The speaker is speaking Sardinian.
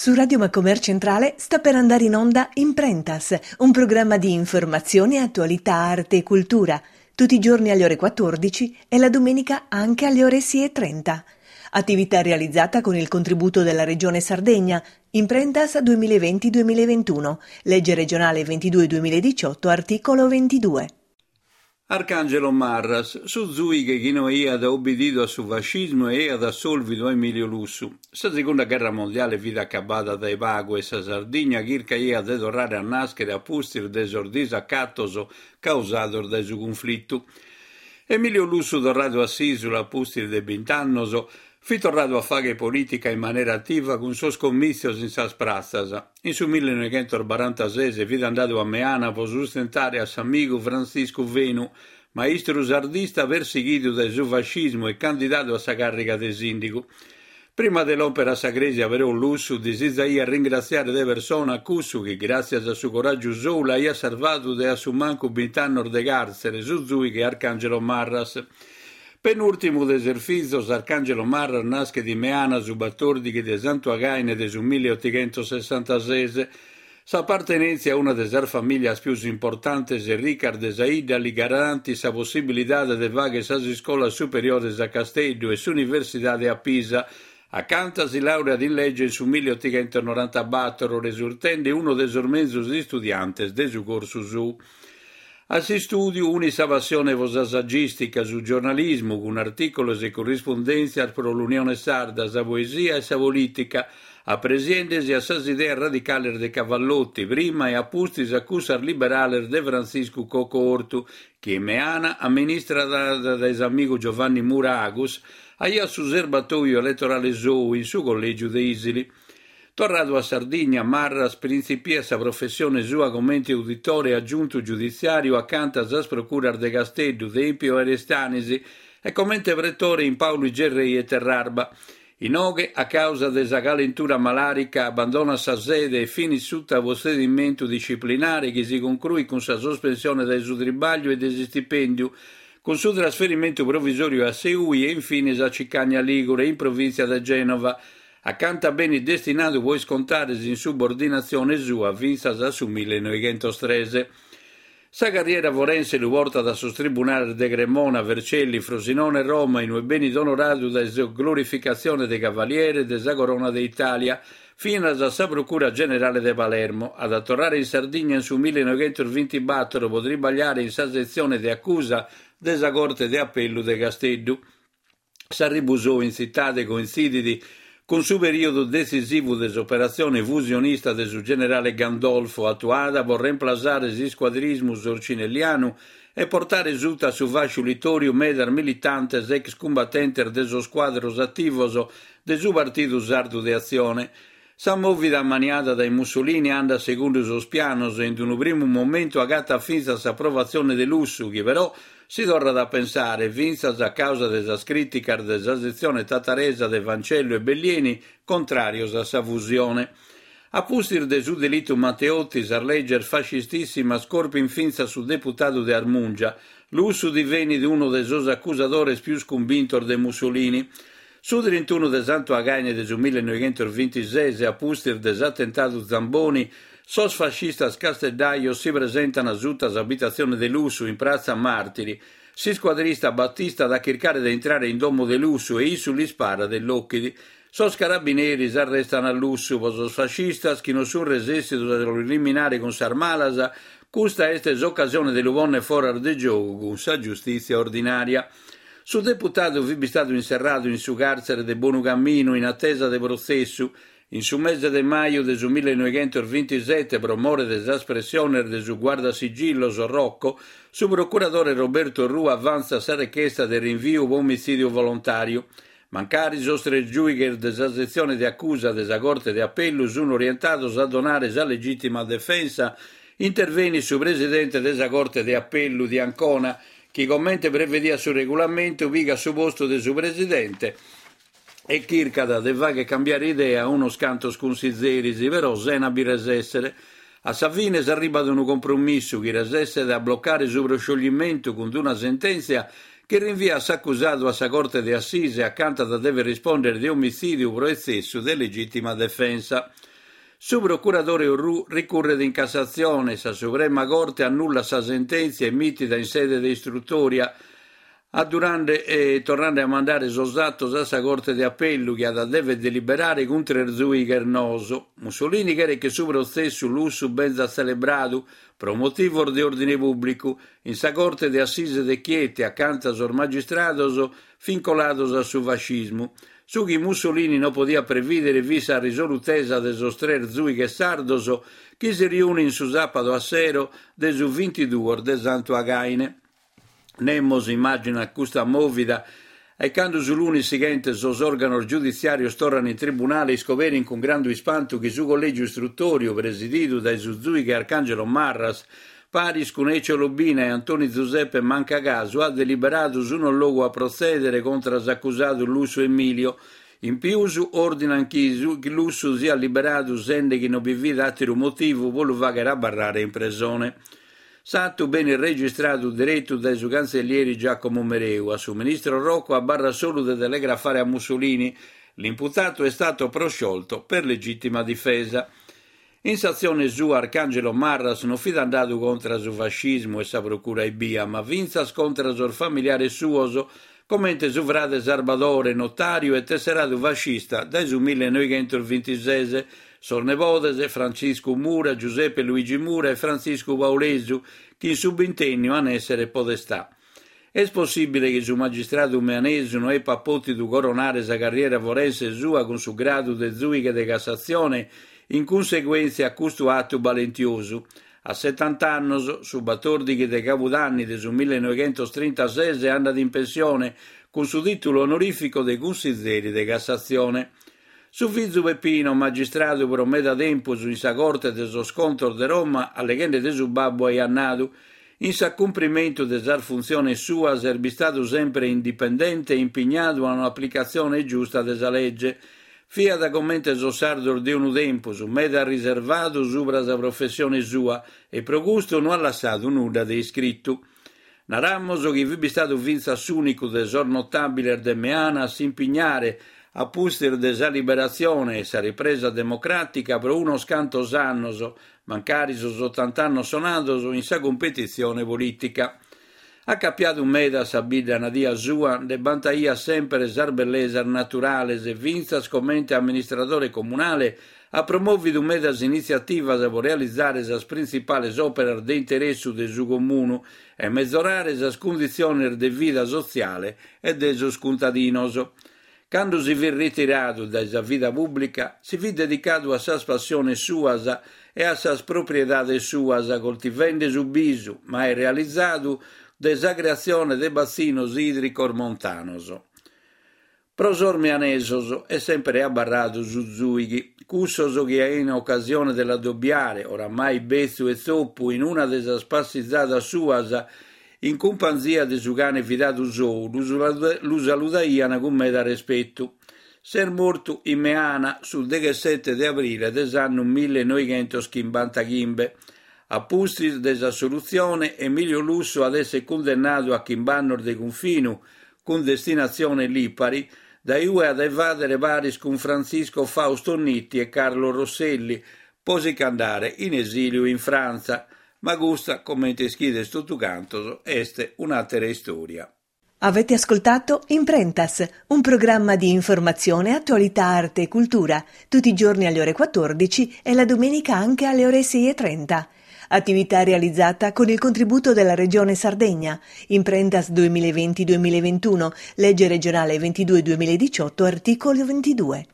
Su Radio Macomer Centrale sta per andare in onda Imprentas, un programma di informazione, attualità, arte e cultura, tutti i giorni alle ore 14 e la domenica anche alle ore 6.30. Attività realizzata con il contributo della Regione Sardegna, Imprentas 2020-2021, legge regionale 22-2018, articolo 22. Arcangelo Marras, su zuighe chi no aiat obididu a su fascismu e aiat assolvidu a Emilio Lussu. Sa segunda gherra mondiale fit acabada dae pagu e sa Sardigna chircaiat de torrare a nàschere a pustis de sos disacatos causados dae su cunflitu. Emilio Lussu torradu a s'ìsula a pustis de bint'annos, Fit torradu a fàghere polìtica in manera ativa cun sos comìtzios in sas pratzas. In su millenoighentosbarantases fit andadu a Meana pro sustentare a s'amigu Frantziscu Fenu, maistru sardista persighidu dae su fascismu e candidadu a sa càrriga de sìndigu. Prima de lòmpere a sa crèsia però Lussu disizaiat ringratziare de persona a cussu chi gràtzias a su coràgiu sou l'aiat sarvadu de a su mancu bint'annos de càrtzere, su zùighe Arcangelo Marras. Penùrtimu de ses fizos, Arcangelo Marras naschet in Meana su batòrdighi de Santu Againe de su milliotighentossessantases. S'apartenèntzia a una de sas famìlias pius importantes e ricas de sa 'idda li garantit sa possibilidade de fagher sas iscolas superiores a Casteddu e s'universidade a Pisa, acanta si làureat in lege in su milliotighentonorantabator, resurtende unu de sos menzus istudiantes de su corsu sou. A s'istùdiu unit sa passione pro sa sagìstica, su giornalismu, cun artìculos e currispundèntzias pro l'Unione Sarda, sa poesia e sa polìtica, apresiende-si a sas ideas radicales de Cavallotti, prima e a pustis a cussas liberales de Frantziscu Cocco Ortu, chi in Meana, amministrada dae s'amigu Giovanni Mura Agus, aiat su serbatoju eletorale sou in su collègiu de Ìsili. Torradu a Sardigna, Marras printzipiat sa professione sua comente uditore e agiuntu giuditziàriu acanta sas procuras de Casteddu, Tèmpio e Aristanis e comente pretore in Pauli Gerrei e Terrarba. Inoghe, a càusa de sa calentura malàrica, abbandonat sa sede e finit suta protzedimentu disciplinare chi si concruit cun sa sospensione dae su tribàgliu e de s'istipèndiu, cun su trasferimentu provisòriu a Seui e infines a Cicagna Ligure, in provìntzia de Gènova, Acanta benit destinadu pro iscontare s'insubordinatzione sua fintzas a su millenoighentos-tres. Sa carriera forense lu portat a sos tribunales de Cremona, Vercelli, Frosinone e Roma, in ue benit onoradu dae sa glorificatzione de Cavaliere de sa Corona de Itàlia, finas a sa Procura Generale de Palermo. At a torrare in Sardigna in su millenoighentosbintibator pro tribagliare in sa setzione de acusa de sa Corte de Apellu de Casteddu. S'arribu sou in tzitade cointzidit cun su perìodu detzisivu de s'operatzione fusionista de su generale Gandolfo, atuada pro remplasare s'iscuadrismu sorcinellianu e portare suta a su fàsciu litòriu medas militantes ex cumbatentes de sos cuadros ativos de su Partidu Sardu de Atzione. Sa mòvida ammaniada dae Mussolini andat segundu sos pianos e in unu primu momentu agatat fintzas s'aprovatzione de Lussu chi però si torrat a pensare, fintzas a càusa de sas crìticas de sa setzione tataresa de Fancellu e Bellieni contràrios a sa fusione. A pustis de su delitu Matteotti sas leges fascistissimas corpint fintzas su deputadu de Armùngia. Lussu divenit unu de sos acusadores pius cumbintos de Mussolini. Su trintunu de Santu Againe de su millenoighentosbintises, a pustis de s'atentadu Zamboni, sos fascistas casteddajos si presentan suta s'abitatzione de Lussu in pratza Màrtiri. S'iscuadrista Battista at a chircare de intrare in domo de Lussu e issu l'isparat e l'ochit. Sos carabineris arrestan a Lussu. Pro sos fascistas, chi non sunt resèssidos a lu eliminare cun sas malas, custa est s'ocasione de lu pònnere foras de giogu cun sa giustìtzia ordinària. Su deputadu fit bistadu inserradu in su càrtzere de Bonu Caminu in atesa de protzessu. In su mese de maju de su millenoighentosbintisete, pro more de sas pressiones de su guardasigillos Rocco, su procuradore Roberto Orrù avantzat sa rechesta de rinviu pro omitzìdiu volontàriu. Mancari sos tres giùighes de sa setzione de acusa de sa Corte de Apellu sun orientados a donare sa legìtima defensa, intervenit su presidente de sa Corte de Apellu de Ancona, chi comente prevediat su regulamentu pigat su postu de su presidente e chircat de fagher cambiare idea a unos cantos cunsizeris, però sena bi resèssere. A sa fine s'arribat unu compromissu chi resesset a blocare su proscioglimentu cun una sentèntzia chi rinviat s'acusadu a sa Corte de Assise acanta at a dever rispòndere de omitzìdiu pro etzessu de legìtima defensa. Su procuradore Orrù ricurret in Cassatzione, sa Suprema Corte annullat sa sentèntzia emìtida in sede de istrutòria, addurande e torrande a mandare sos atos a sa Corte de Apellu chi at a dever deliberare cun tres zùighes noos. Mussolini cheret chi su protzessu Lussu benzat tzelebradu, pro motivos de òrdine pùblicu, in sa Corte de Assise de Chieti, acanta sos magistrados fin colados a su fascismu. Su chi Mussolini no podiat prevìdere fit sa risolutesa de sos tres zùighes sardos chi si riunin su sàpadu a sero de su bintiduos de Santu Againe. Nemos immàginat custa mòvida e cando su lunis sighente sos òrganos giuditziàrios torran in tribunale iscoberin cun grandu ispantu chi su collègiu istrutòriu presididu dae su zùighe Arcangelo Marras paris cun Ecio Lobina e Antoni Zuseppe Manca Casu at deliberadu su non logu a protzèdere contra s'acusadu Lussu Emilio. In pius òrdinan chi Lussu siat liberadu sende chi non bi fit àteru motivu pro lu fàghere abarrare in presone. S'atu benit registradu deretu dae su cantzellieri Giacomo Mereu. A su ministro Rocco abarrat solu de telegrafare a Mussolini, L'imputato è stato prosciolto per legittima difesa. In s'atzione sua Arcangelo Marras non fit andadu contra su fascismu e sa procura ebbia, ma fintzas contra sos familiares suos, comente su frade Sarbadore, notàriu e tesseradu fascista dae su millenoighentosbintises, sos nebodes Frantziscu Mura, Giuseppe Luigi Mura e Frantziscu Paulesu, chi in su bintènniu an èssere podestà. Est possìbile chi su magistradu meanesu no epat pòtidu coronare sa carriera forense sua cun su gradu de zùighe de Cassatzione in cunseguèntzia a custu atu balentiosu. A setant'annos, su batòrdighi de cabudanni de su millenoighentostrintases andat in pensione cun su tìtulu onorìficu de cunsizeri de Cassatzione. Su fizu Peppino, magistradu pro meda tempus in sa Corte de sos Contos de Roma, alleghende de su babbu aiat nadu, In s'acumprimentu de sas funtziones suas est bistadu sempre indipendente e impignadu a un'aplicatzione giusta de sa lege. Fiat comente sos sardos de unu tempus, meda riservadu subra sa professione sua e pro custu no at lassadu nudda de iscritu. Naramos chi fit bistadu fintzas s'ùnicu de sos notàbiles de Meana a s'impignare, a pustis de sa liberatzione e sa ripresa democràtica pro unos cantos annos, mancari sos otant'annos sonados, in sa cumpetitzione polìtica. Acapiadu meda a sa bidda nadia sua, nde bantaiat semper sas bellesas naturales e fintzas comente amministradore comunale at promòvidu medas initziativas pro realizare sas printzipales òperas de interessu de su comunu e mezorare sas cunditziones de vida sotziale e de sos cuntadinos. Cando si fit ritiradu dae sa vida pùblica, si fit dedicadu a sas passiones suas e a sas propriedades suas, coltivende su bisu, mai realizadu, de sa creatzione de batzinos ìdricos montanos. Pro sos meanesos est semper abarradu su zùighi, cussos chi aian ocasione de l'addobiare, oramai betzu e tzopu, in una de sas passizadas suas, In cumpanzia de su cane fidadu sou, lu saludaian cun meda respetu. S'est mortu in Meana su deghessete de abrile de s'annu millenoighentoschimbantachimbe. A pustis de s'assolutzione, Emilio Lussu at esser cundennadu a chimb'annos de cunfinu, cun destinatzione Lipari, dae ue at a evàdere paris cun Frantzisco Fausto Nitti e Carlo Rosselli, po si ch'andare in esìliu in Frantza. Ma custa, comente ischides totu cantos, est un'àtera istòria. Avete ascoltato Imprentas, un programma di informazione, attualità, arte e cultura, tutti i giorni alle ore 14 e la domenica anche alle ore 6.30. Attività realizzata con il contributo della Regione Sardegna. Imprentas 2020-2021, legge regionale 22-2018, articolo 22.